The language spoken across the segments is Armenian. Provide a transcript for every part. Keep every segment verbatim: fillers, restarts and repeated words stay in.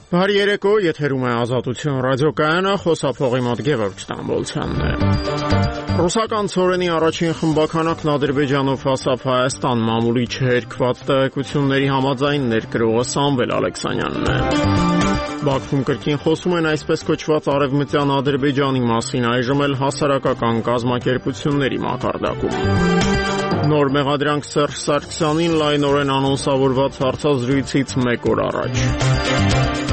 Բարի երեկո, եթերում է Ազատություն ռադիոկայանը, խոսափողի մոտ Գևորգ Ստամբոլցյանն է։ Ռուսական ցորենի առաջին խմբականակն Ադրբեջանով հասավ Հայաստան, մամուլի չհերկված տեղեկությունների համաձայն ներկրողը Սամվել Ալեքսանյանն է։ Բաքվում կրկին խոսում են այսպես կոչված արևմտյան Ադրբեջանի մասին, այժմ էլ հասարակական կազմակերպությունների մակարդակում։ Նոր մեղադրանք Սերժ Սարգսյանին լայնորեն անոնսավորված հարցազրույցից մեկ օր առաջ։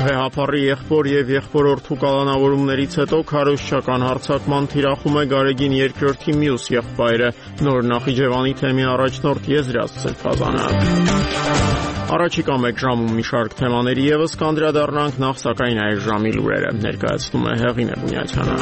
Վեհափառի եղբոր եւ եղբորորդու կալանավորումներից հետո քարոզչական հարձակման թիրախում է Գարեգին երկրորդի մյուս եղբայրը, նոր Նախիջևանի թեմի առաջնորդ Եզրած Սրբազանը։ Առաջիկա մեկ ժամում մի շարք թեմաների եւս կանդրադառնանք, նախ սակայն այս ժամի լուրերը ներկայացնում է Հեղինե Բունյացյանը։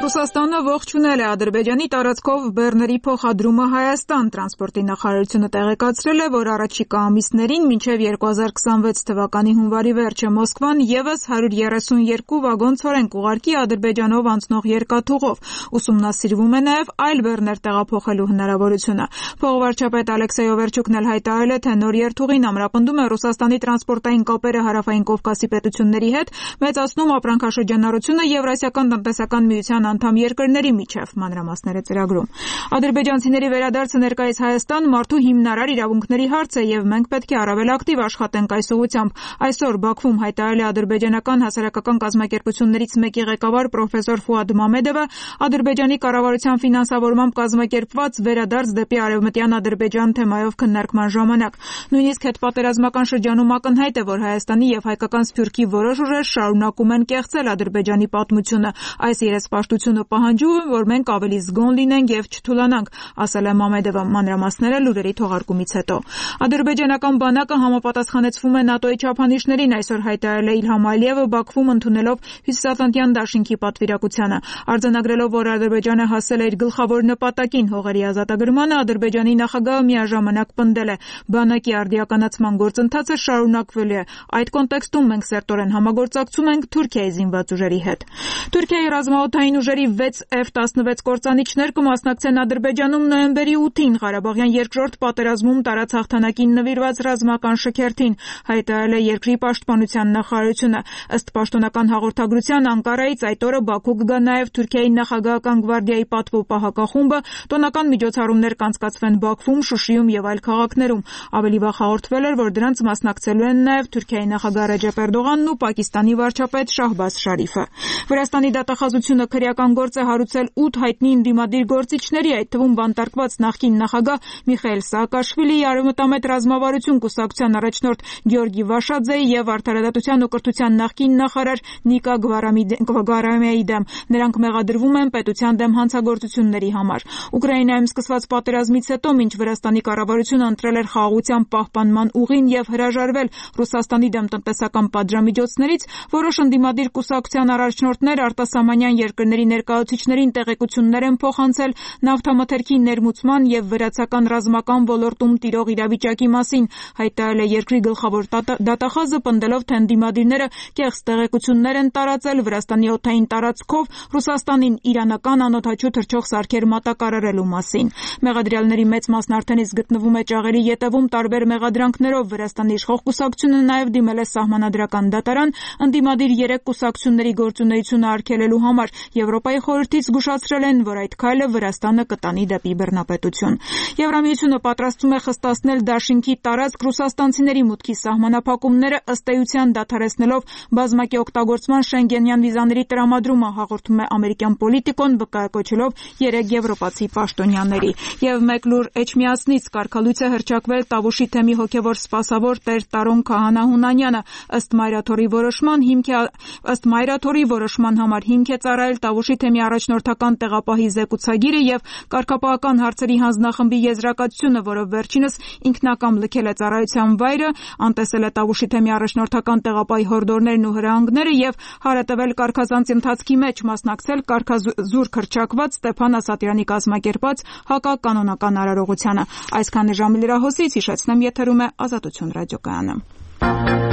Ռուսաստանը ողջունել է Ադրբեջանի տարածքով բեռների փոխադրումը Հայաստան։ Տրանսպորտի նախարարությունը տեղեկացրել է, որ առաջիկա ամիսներին մինչև երկու հազար քսանվեց թվականի հունվարի վերջը Մոսկվան եւս հարյուր երեսունյոթ վագոն ցորեն կուղարկի Ադրբեջանով անցնող երկաթուղով։ Ուսումնասիրվում է նաեւ այլ բեռներ տեղափոխելու հնարավորությունը։ Փոխվարչապետ Ալեքսեյ Օվերչուկն էլ հայտարարել է, թե նոր երթուղին ամրապնդում է Ռուսաստանի տրանսպորտային կապերը Հարավային Կովկասի պետությունների հետ, մեծացնում ապրանքաշրջանառությունը Եվրասիական տնտեսական միության անդամ երկրների միջև, մանրամասները ծրագրում։ Ադրբեջանցիների վերադարձը ներկայիս Հայաստան մարդու հիմնարար իրավունքների հարց է եւ մենք պետք է առավել ակտիվ աշխատենք այս ուղղությամբ։ Այսօր Բաքվում հայտարարել է ադրբեջանական հասարակական կազմակերպություններից մեկի ղեկավար պրոֆեսոր Ֆուադ Մամեդովը Ադրբեջանի կառավարության ֆինանսավորմամբ կազմակերպված վերադարձ դեպի արևմտյան Ադրբեջան թեմայով քննարկման ժամանակ։ Նույնիսկ հետպատերազմական շրջանում ակնհայտ է, որ Հայաստանի եւ հայկական Սփյուռքի որոշ ուժեր շարունակում են կեղծել Ադրբեջանի պատմությունը։ Այս երեսպաշտությունը պահանջում է, որ մենք ավելի զգոն լինենք եւ չթուլանանք, ասել է Մամեդովը, մանրամասները լուրերի թողարկումից հետո։ Ադրբեջանական բանակը համապատասխանեցվում է ՆԱՏՕ-ի չափանիշներին, այսօր հայտարարել է Իլհամ Ալիևը Բաքվում ընդունելով Հյուսիսատլանտյան դաշինքի պատվիրակությանը։ Արձանագրելով, որ Ադրբեջանը հասել է իր գլխավոր նպատակին հողերի ազատագրմանը, Ադրբեջանի նախագահը միաժամանակ պնդել է. բանակի արդիականացման գործընթացը շարունակվելու է։ Այդ կոնտեքստում մենք սերտորեն համագործակցում ենք Թուրքիայի զինված ուժերի հետ։ Թուրքիայի ռազմաօդային ուժերի վեց Էֆ տասնվեց կործանիչներ կմասնակցեն Ադրբեջանում նոյեմբերի ութին Ղարաբաղյան երկրորդ պատերազմում տարած հաղթանակին նվիրված ռազմական շքերթին, հայտարարել է երկրի պաշտպանության նախարարությունը։ Ըստ պաշտոնական հաղորդագրության Անկարայից այդ օրը Բաքու կգա նաև Թուրքիայի նախագահական գվարդիայի պատվո պահակախումբը, տոնական միջոցառումներ կանցկացվեն Բաքվում, Շուշիում եւ այլ քաղաքներում։ Ավելի վաղ հաղորդվել էր, որ դրանց մասնակցելու են նաև Թուրքիայի նախագահ Ռեջեփ Էրդողանն ու Պակիստանի վարչապետ Շահբազ Շարիֆը։ Վրաստանի դատախազությունը քրեական գործ է հարուցել ութ հայտնի ընդդիմադիր գործիչների, այդ թվում բանտարկված նախկին նախագահ Միխայիլ Սաակաշվիլիի, Արևմտամետ ռազմավարություն կուսակցության առաջնորդ Գեորգի Վաշաձեի եւ Արդարադատության ու կրթության նախկին նախարար Նիկա Գվարամիայի դեմ։ Նրանք մեղադրվում են պետության դեմ հանցագործությունների համար։ Ուկրաինայում սկսված պատերազմից հետո, մինչ Վրաստանի կառավարությունը ընտրել էր խաղաղության պահպանման ուղին եւ հրաժարվել Ռուսաստանի դեմ տնտեսական պատժամիջոցներից, որոշ ընդդիմադիր կուսակցության առաջնորդներ արտասահմանյան երկրների ներկայացուցիչներին տեղեկություններ են փոխանցել նավթամթերքի ներմուծման եւ վրացական ռազմական ոլորտում տիրող իրավիճակի մասին, հայտարարել է երկրի գլխավոր դատախազը, պնդելով, թե ընդդիմադիրները կեղծ տեղեկություններ են տարածել Վրաստանի օդային տարածքով Ռուսաստանին իրանական անօդաչու թռչող սարքեր մատակարարելու մասին։ Մեղադրյալների մեծ մասն արդեն իսկ գտնվում է ճաղերի ետևում տարբեր մեղադրանքներով։ Վրաստանի իշխող կուսակցությունը նաեւ դիմել է սահմանադրական դատարան ընդդիմադիր երեք կուսակցությունների գործունեությունը արգելելու համար։ Եվրոպայի խորհրդից զգուշացրել են, որ այդ քայլը Վրաստանը կտանի դեպի բռնապետություն։ Եվրամիությունը պատրաստվում է խստացնել դաշինքի տարածք ռուսաստանցիների մուտքի սահմանափակումները, ըստ էության դադարեցնելով բազմակի օգտագործման շենգենյան վիզաների տրամադրումը, հաղորդում է ամերիկյան Պոլիտիկոն, վկայակոչելով երեք եվրոպացի պաշտոնյաների։ Եվ մեկ լուր Էջմիածնից կարգալույց է հռչակվել Տավուշի թեմի հոգևոր սպասավոր Տեր Տարոն Քահանա Հունանյանը։ Ըստ Մայրաթորի որոշման հիմք է ըստ Մայրաթորի որոշման համար հիմք է ծառայել Տավուշի թեմի առաջնորդական տեղապահի զեկուցագիրը եւ կարգապահական հարցերի հանձնախմբի եզրակացությունը, որով վերջինս ինքնակամ լքել է ծառայության վայրը, անտեսել է Տավուշի թեմի առաջնորդական տեղապահի հորդորներն ու հրահանգները եւ հարատևել կարգազանց ընթացքի մեջ, մասնակցել կարգազուրկ հռչակված Ստեփան Ասատրյանի կազմակերպած հակականոնական արարողությանը։ Այսքանը ժամի լրահոսից հիշեցնեմ, եթերում է Ազատություն ռադիոկայանը։